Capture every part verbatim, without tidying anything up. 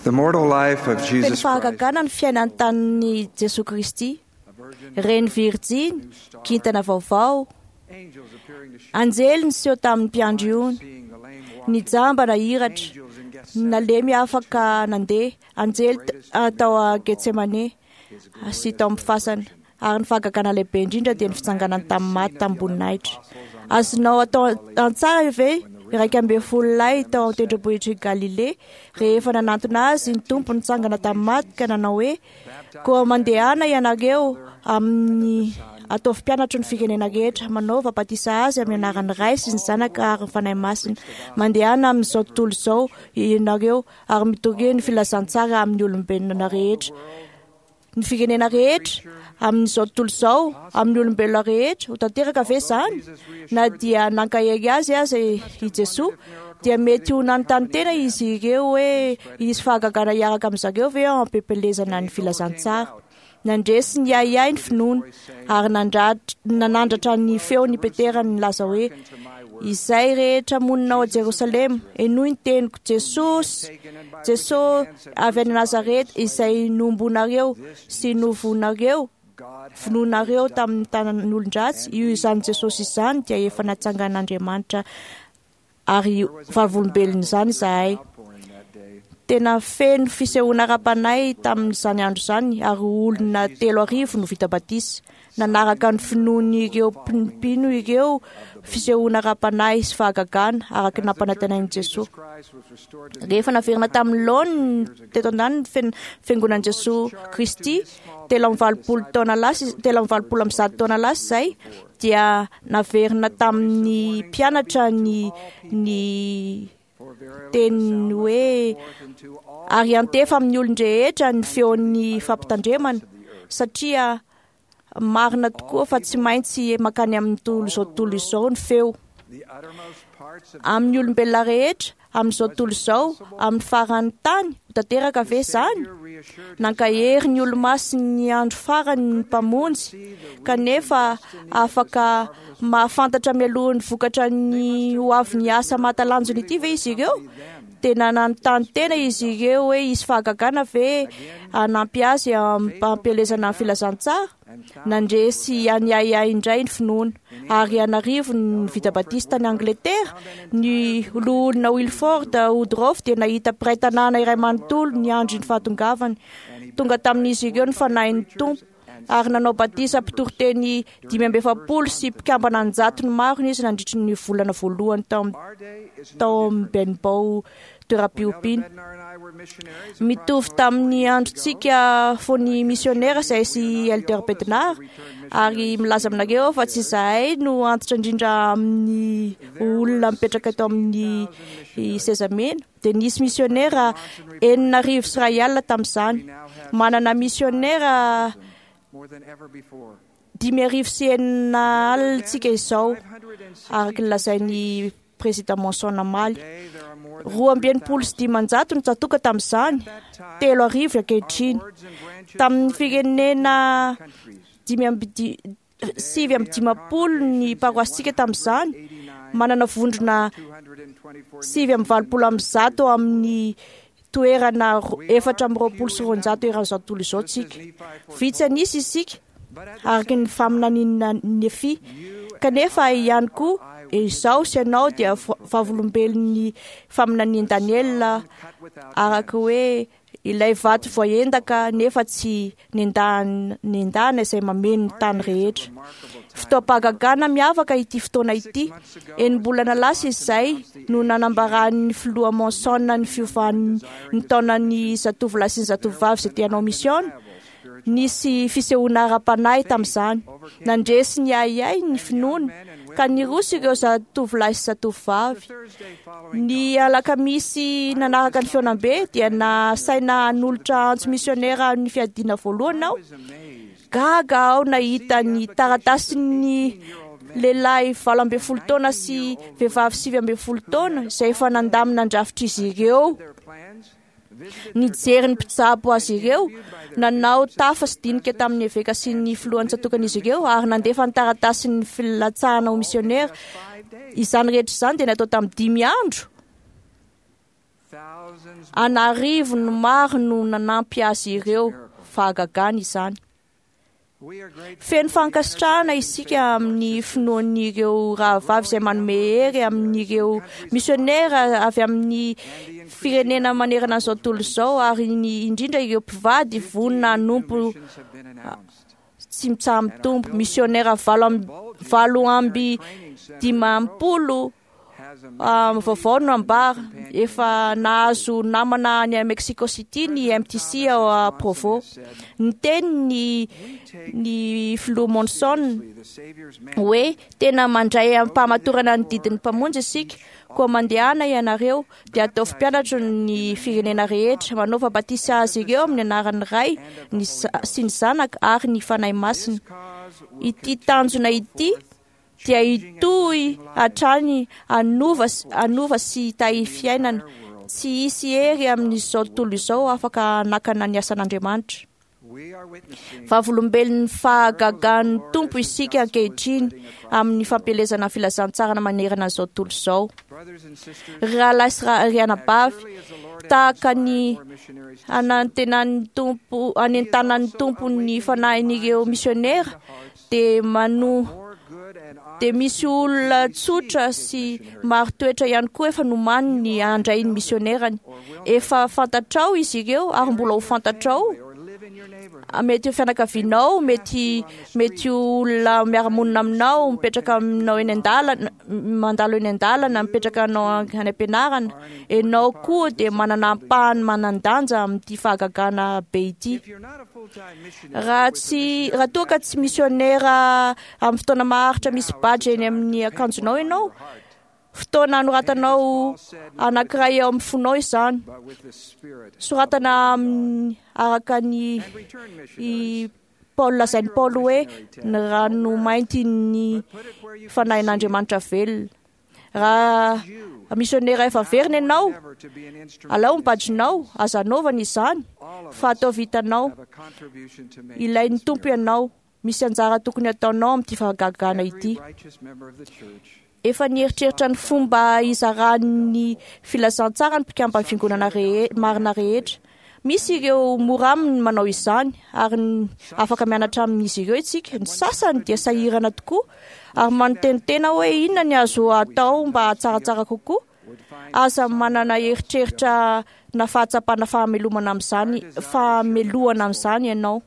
The mortal life of Feno Jesus Christ, fahagagana ny fiainany tamin'i Jesoa Kristy, a virgin, reny virjiny, kintana vaovao, angels appearing to shepherds, anjely niseho tamin'ny mpiandry ony, seeing the lame ny walking, jamba nahiratra, angels in Gethsemane, nalemy afaka nandeha, anjely t- ah, tao a Getsemane his sy glorious tao amin'ny fasana. Ary ny fahagagana lehibe indrindra dia ny fitsanganany tamin'ny maty tamin'ny-boninahitra. Azonao atao an-tsara ve iraika ambin'ny folo lahy tao an-tendrombohitr'i Galilea rehefa nanantona azy ny Tompo nitsangana tamin'ny maty ka nanao hoe: "Koa mandehana ianareo amin'ny ataovy mpianatro ny firenena rehetra, manaova batisa azy amin'ny anaran'ny Ray sy ny Zanaka ary ny Fanahy Masina. Mandehana amin'izao tontolo izao ianareo ary mitoria ny filazantsara amin'ny olombelona rehetra." Ny firenena rehetra amin'izao tontolo izao, amin'ny olombelona rehetra, ho tanteraka ve izany? Na dia nankahery azy aza i Jesoa, dia mety ho nanontany tena izy ireo hoe hisy fahagagana hiaraka amin-dry zareo ve ao am-pepelezana ny filazantsara. Nandresy ny ahiahy ny finoana ary nandrat- nanandratra ny feon'i Petera nilaza hoe: "Izay rehetra monina ao Jerosalema, henoy ny teniko, Jesosy, Jesosy avy any Nazareta, izay nombonareo sy novonareo, God hath vonoinareo tamin'ny tanan'olon-dratsy, io izany Jesosy izany dia efa natsangan'Andriamanitra ary vavolombelon'izany izahay." outpouring that day. Tena feno fisehoana ara-panahy tamin'izany andro izany ary olona telo arivo no vita batisa. Nanaraka ny finoan'ireo mpino ireo fisehoana ara-panahy sy fahagagana araka ny nampanantenain'i Jesoa. Jesus Christ was restored to the Rehefa naverina tamin'ny laoniny teto an-tany ny fen- fiangonan'i Jesoa Kristy telo amby valopolo taona lasa telo amby valopolo amby zato taona lasa izay dia naverina tamin'ny mpianatra ny ny for verily teny hoe forth into all ary antefa amin'ny olon-drehetra ny feon'ny fampitandremana satria marina tokoa fa tsy maintsy makany amin'ny tontolo izao tontolo izao ny feo the uttermost parts of amin'ny olombelona rehetra amin'izao tontolo izao amin'ny faran'ny tany ho tanteraka ve izany? reassured Nankahery ny olomasin'ny andro farany ny mpamonjy kanefa afaka mahafantatra mialoha ny vokatra ny ho avy ny asa mahatalanjona ity ve izy ireo? Tena nanontany tena izy ireo hoe hisy fahagagana ve hanampy azy ampielezana ny filazantsara? Nandresy any ahiahy indray ny finoana ary anarivo ny vita batista tany Angletera. Ny loholona Wilford Woodruff dia nahita mpiray tanàna iray manontolo ny andro ny fahatongavany. Tonga tamin'izy ireo ny fanahin'ny Tompo ary nanao batisa mpitoriteny dimy amby efapolo sy mpikambana an-jatony maro izy nandritry ny volana voalohany tao am- our day is no tao amin'ny Benbow toeram-piompiana. Bednar and I were missionaries Mitovy tamin'ny androntsika fony misionera izay sy Elder Bednar ary milaza aminareo fa tsy izahay no antitra indrindra amin'ny olona mipetraka eto amin'ny seza mena. Dia nisy misionera enina arivo sy iray alina tamin'izany. Manana misionera more than ever before. dimy arivo sy enina alina tsika izao araka ny lazain'ny président Monson namaly. Today there are more than Roa amby enimpolo sy dimanjato no tsatoka tamin'izany, telo arivo ankehitriny. wards and branches Tamin'ny firenena countries. dimy amby di- sivy amby dimampolo ny paroasika tamin'izany, manana vondrona two hundred and twenty-four sivy amby valopolo amby zato amin'ny toerana ro- efatra amby roapolo sy roanjato eran'izao tontolo izao tsika. Vitsy an'isa isika But at the araka ny faminaniana Nefia. Kanefa ihany koa izaho sy ianao dia va- vavolombelon'ny faminanian'i Daniela cut without araka hoe ilay vato voaendaka nefa tsy nendahana nendahana izay mameno ny tany rehetra. Fotoam-pahagagana miavaka ity fotoana ity. Enim-bolana lasa izay no nanambaran'ny filoha Monson ny fiovan'ny ny taonan'ny zatovolahy sy ny zatovovavy izay te hanao misiona. Nisy fisehoana ara-panahy tamin'izany. Nandresy ny ahiahy ny finoana ka niroso ireo zatovolahy sy zatovovavy. Thursday following Ny alakamisy nanaraka ny fihaonambe dia nasaina hanolotra antso misionera ny fiadiana voalohany aho. was amazed Gaga aho nahita ny taratasin'ny lehilahy valo ambin'ny folo taona sy vehivavy sivy ambin'ny folo taona izay efa nandamina andrafitr'izy ireo. their plans, visited Nijery ny mpitsabo azy ireo, nanao tafa sy dinika tamin'ny eveka sy ny filohan'ny tsatokan'izy ireo ary nandefa ny taratasin'ny filatsahana ho misionera. five days. Izany rehetra izany dia natao tamin'ny dimy andro. An'arivony maro no nanampy azy ireo. Fahagagana izany. Feno fankasitrahana isika amin'ny finoan'ireo rahavavy izay manome hery amin'ireo misionera avy amin'ny firenena manerana an'izao tontolo izao, ary ny indrindra ireo mpivady vonona hanompo tsy mitsaha-mitombo. Misionera valo amby, valo amby dimampolo vaovao no ambara. Efa nahazo namana any Mexico City ny M T C ao Provo. Niteny ny, ny filoha Monson hoe tena mandray am-pahamatorana ny didin'ny mpamonjy isika, koa mandehana ianareo dia ataovy mpianatro ny firenena rehetra, manaova batisa azy ireo amin'ny anaran'ny Ray ny sy ny Zanaka ary ny Fanahy Masina. Ity tanjona ity dia hitohy hatrany hanova, hanova sy hitahy fiainana. Tsy hisy hery amin'izao tontolo izao afaka hanakana ny asan'Andriamanitra. Vavolombelon'ny fahagagan'ny Tompo isika ankehitriny amin'ny fampielezana filazantsarana manerana izao tontolo izao. Ry rahalahy sy ry anabavy, tahaka ny anantenan'ny Tompo, anentanan'ny Tompo ny fanahin'ireo misionera, dia mano dia misy olona tsotra sy maro toetra ihany koa efa nomaniny handray ny misionerany. Efa fantatrao izy ireo ary mbola ho fantatrao. Mety ho fianakavianao, mety mety olona miara-monina aminao, mipetraka aminao eny an-dalana, mandalo eny an-dalana, mipetraka anao any am-pianarana. Ianao koa dia manana ampahany manan-danja amin'ity fahagagana be ity. Raha tsy raha toa ka tsy misionera amin'ny fotoana maharitra misy badge eny amin'ny akanjonao ianao, fotoana anoratanao anankiray eo amin'ny fonao izany. Soratana amin'ny araka ny i Paul lazain'i Paoly hoe ny rano mainty ny fanahin'Andriamanitra velona. Raha misionera efa verina ianao, alao ny badge-nao, aza anaovana izany, fa ataovy hitanao. Ilain'ny Tompo ianao. Misy anjara tokony ataonao amin'ity fahagagana ity. Efa nieritreritra ny fomba hizaran'ny filazantsara ny mpikamban'ny fiangonana rehe- marina rehetra. Misy ireo mora aminy manao izany ary afaka mianatra amin'izy ireo isika. Ny sasany dia sahirana tokoa ary manonteny hoe inona ny azo atao mba hahatsaratsara kokoa. Aza manana eritreritra na fahatsapana fahamelomana amin'izany, fahamelohana amin'izany ianao.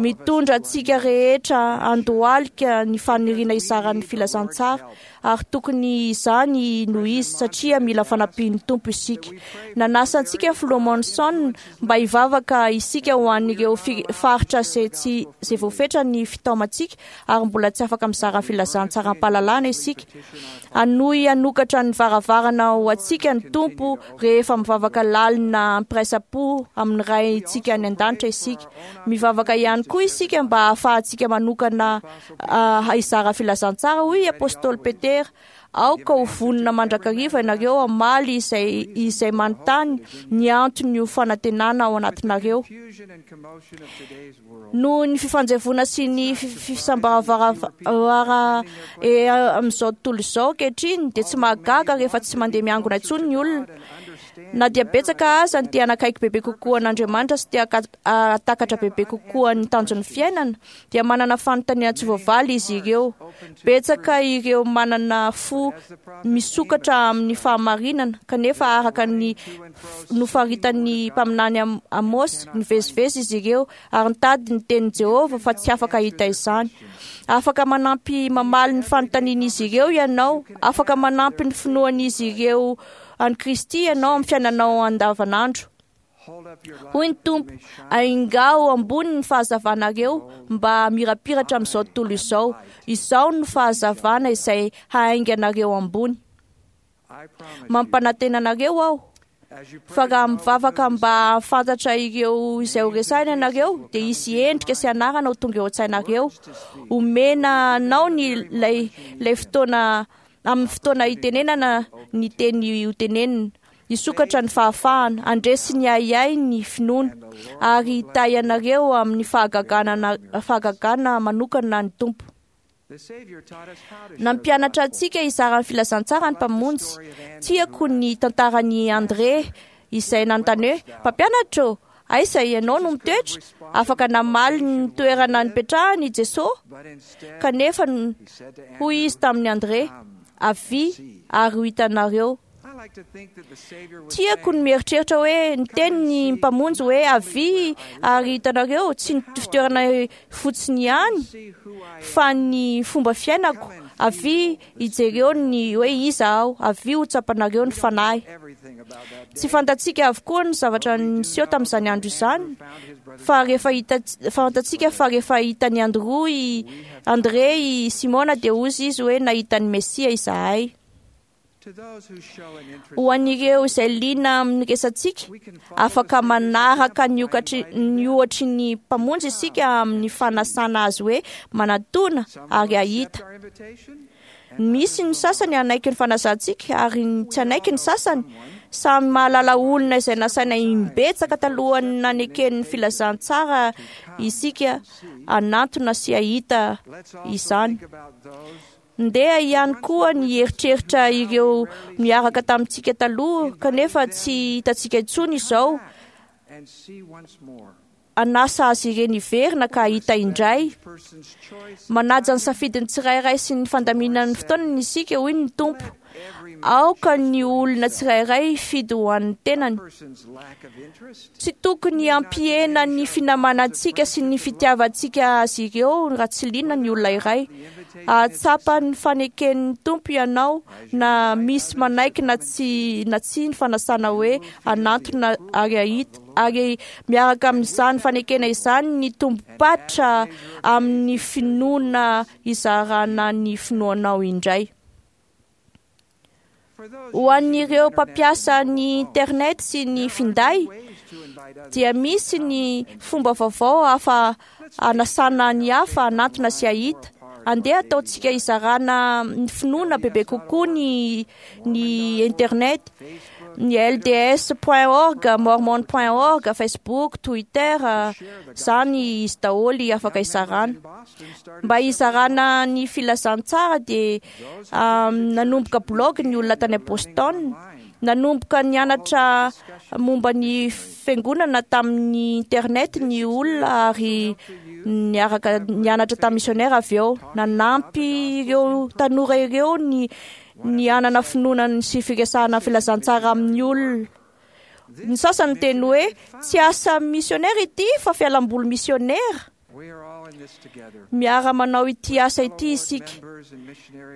Mitondra antsika rehetra andohalika ny faniriana hizaran'ny filazantsara, ary tokony izany no izy satria mila fanampian'ny Tompo isika. Nanasa antsika Filoha Monson mba hivavaka isika ho an'ireo faritra izay tsy izay voafetra ny fitaomantsika ary mbola tsy afaka mizara filazantsara am-pahalalana isika. Hanohy hanokatra ny varavarana ho antsika ny Tompo rehefa mivavaka lalina am-piraisam-po amin'ny Raintsika any an-danitra isika. Mivavaka ihany koa isika mba hahafahantsika manokana hizara filazantsara, hoy Apôstôly Petera. Aoka ho vonona mandrakariva ianareo hamaly izay izay manontany ny antony ho fanantenana ao anatinareo. Noho ny fifanjevoana sy ny fisambaravara amin'izao tontolo izao ankehitriny dia tsy mahagaga rehefa tsy mandeha miangona intsony ny olona. Na dia betsaka aza ny te hanakaiky bebe kokoa an'Andriamanitra sy te hahatakatra bebe kokoa ny tanjon'ny fiainana, dia manana fanontaniana tsy voavaly izy ireo. Betsaka ireo manana fo misokatra amin'ny fahamarinana, kanefa araka ny nofaritan'ny mpaminany Amos, nivezivezy izy ireo ary nitady ny tenin'i Jehovah fa tsy afaka hahita izany. Afaka manampy mamaly ny fanontanian'izy ireo ianao, afaka manampy ny finoan'izy ireo an'i Kristy ianao amin'ny fiainanao andavanandro. Hoy ny Tompo, aingao ambony ny fahazavanareo mba hamirapiratra amin'izao tontolo izao. Izao no fahazavana izay hainganareo ambony. Mampanantena anareo aho fa raha mivavaka mba hahafantatra ireo izay ho resahina ianareo, dia hisy endrika sy anarana ho tonga eo an-tsainareo. Omena anao ny ilay ilay fotoana amin'ny fotoana hitenenana ny teny hotenenina. Hisokatra ny fahafahana, handresy ny ahiahy ny finoana, ary hitahy anareo amin'ny fahagagana, fahagagana manokana ny Tompo. Nampianatra antsika hizara ny filazantsara ny Mpamonjy. Tiako ny tantaran'i André izay nanontany hoe: "Mpampianatra ô, aiza ianao no mitoetra?" Afaka namaly ny toerana nipetrahany i Jesosy, kanefa hoy izy tamin'i André: "Avia ary ho hitanareo." Tiako ny mieritreritra hoe niteny ny Mpamonjy hoe: "Avia ary hitanareo", tsy ny fitoerana fotsiny ihany fa ny fomba fiainako. Avia hijereo ny hoe iza aho, avia ho tsapanareo ny fanahy. Tsy fantatsika avokoa ny zavatra niseho tamin'izany andro izany, fa rehefa hita, fantatsika fa rehefa hitan'i Andro i André i Simona dia hoy izy hoe: "Nahita ny Mesia izahay." Ho an'ireo izay liana amin'ny resatsika, afaka manaraka ny okatry ny ohatry ny Mpamonjy isika amin'ny fanasana azy hoe manatona ary hahita. Misy ny sasany hanaiky ny fanasantsika ary tsy hanaiky ny sasany. Samy mahalala olona izay nasaina imbetsaka talohan'ny naneken'ny filazantsara isika hanantona sy hahita izany. Ndeha ihany koa ny eritreritra ireo miaraka tamintsika taloha kanefa tsy hitantsika intsony izao. Anasa azy ireny hiverina ka hahita indray. Manaja ny safidin'ny tsirairay sy ny fandaminan'ny fotoanany isika, hoy ny Tompo. Aoka ny olona tsirairay hifidy ho an'ny tenany. Tsy tokony hampihena ny finamanantsika sy ny fitiavantsika azy ireo raha tsy liana ny olona iray. Ahatsapa ny faneken'ny Tompo ianao na misy manaiky na tsy na tsy ny fanasana hoe hanantona ary hahita, ary miaraka amin'izany fanekena izany ny tombom-patra amin'ny finoana hizarana ny finoanao indray. Ho an'ireo mpampiasa ny internet sy ny finday dia misy ny fomba vaovao hafa hanasana ny hafa hanantona sy hahita. Andeha ataontsika hizarana ny finoana bebe kokoa ny ny internet, ny L D S point org, mormon point org, Facebook, Twitter, zany izy daholo afaka hizarana. Mba hizarana ny filazantsara dia nanomboka blog ny olona tany Boston, nanomboka nianatra momba ny fiangonana tamin'ny internet ny olona ary niaraka nianatra tamin'ny missionnaire avy eo. Nanampy ireo tanora ireo ny ny hanana finoana sy firesahana filazantsara amin'ny olona. Ny sasany teny hoe tsy asa missionnaire ity fa fialamboly missionnaire. Miara manao ity asa ity isika,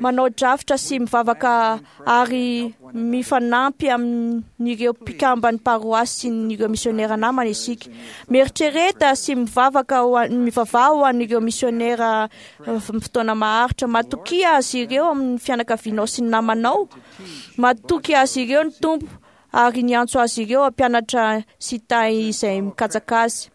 manao drafitra sy mivavaka ary mifanampy amin'ireo mpikamban'ny paroasy sy ireo misionera namana isika. Mieritrereta sy mivavaka ho an-, mivavaha ho an'ireo misionera fotoana maharitra. Matokia azy ireo amin'ny fianakavianao sy ny namanao. Matoky azy ireo ny Tompo ary niantso azy ireo hampianatra sy tahy izay mikatsaka azy.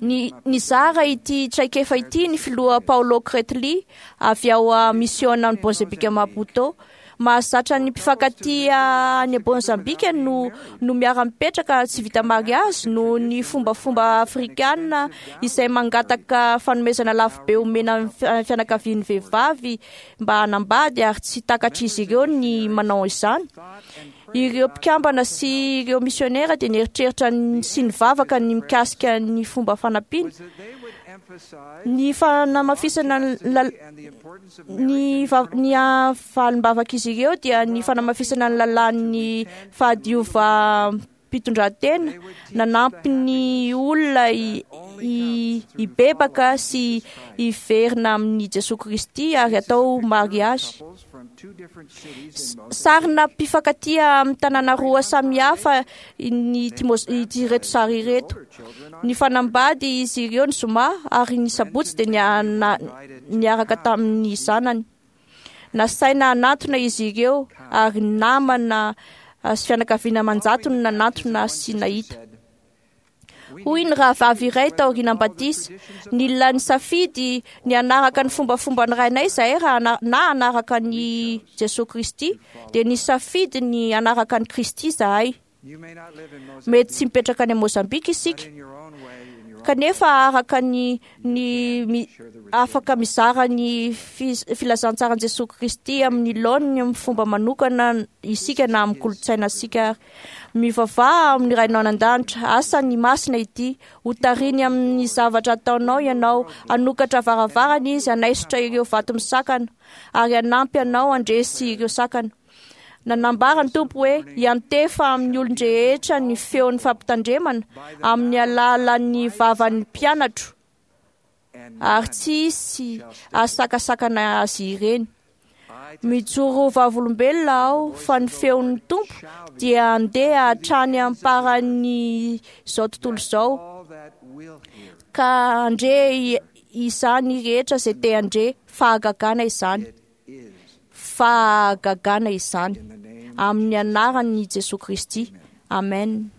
Ny nizara ity traikefa ity ny filoha Paulo Kretli avy ao a misiona any Mozambika Maputo. Mahazatra ny mpifankatia any Mozambika no no miara-mipetraka tsy vita mariazy noho ny fombafomba afrikana izay mangataka fanomezana lafo be omena ny fianakavian'ny vehivavy mba hanambady, ary tsy takatr'izy ireo ny manao izany. Ireo mpikambana sy ireo misionera dia nieritreritra sy nivavaka ny mikasika ny fomba fanampiana. Ny fanamafisana ny ny valim-bavak'izy ireo dia ny fanamafisana ny lalàn'ny fahadiovam-pitondran-tena, nanampy ny olona hibebaka sy hiverina amin'i Jesoa Kristy ary atao mariazy. Sarina mpifankatia amin'ny tanàna roa samihafa ny ity ireto sary ireto. Ny fanambady izy ireo ny zoma ary ny sabotsy dia niaraka tamin'ny zanany. Nasaina hanantona izy ireo ary namana sy fianakaviana aman-jatony nanantona sy nahita. Hoy ny rahavavy iray taorian'ny batisa: nila nisafidy ny hanaraka ny fombafomban'ny rainay izahay raha na hanaraka ny Jesoa Kristy, dia nisafidy ny hanaraka ny Kristy izahay. Mety tsy mipetraka any Mozambika isika, Kanefa araka ny ny mi, afaka mizara ny filazantsaran'i Jesoa Kristy amin'ny laoniny amin'ny fomba manokana isika na amin'ny kolontsaina isika ary. Mivavaha amin'ny Rainao any an-danitra, asa ny masina ity, ho tariny amin'ny zavatra ataonao ianao, hanokatra varavarana izy, hanaisotra ireo vato misakana ary hanampy anao handresy ireo sakana. Nanambara ny Tompo hoe hiantefa amin'ny olon-drehetra ny feon'ny fampitandremana amin'ny alalan'ny vavan'ny mpianatro ary tsy hisy ahasakasakana azy ireny. Mijoro vavolombelona aho fa ny feon'ny Tompo dia handeha hatrany am-paran'izao tontolo izao ka handre izany rehetra izay te handre. Fahagagana izany. Fahagagana izany. Amin'ny anaran'i Jesoa Kristy. Amen.